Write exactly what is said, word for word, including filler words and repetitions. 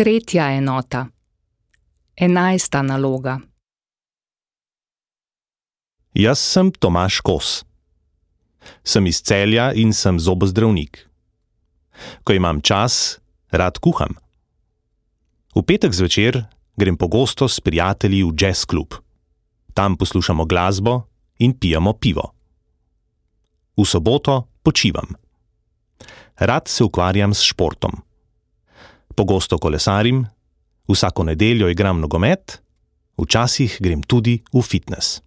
Tretja enota. Enajsta naloga. Jaz sem Tomaž Kos. Sem iz Celja in sem zobozdravnik. Ko imam čas, rad kuham. V petek zvečer grem pogosto s prijatelji v jazz klub. Tam poslušamo glasbo in pijemo pivo. V soboto počivam. Rad se ukvarjam s športom. Pogosto kolesarim, vsako nedeljo igram nogomet, včasih grem tudi v fitnes.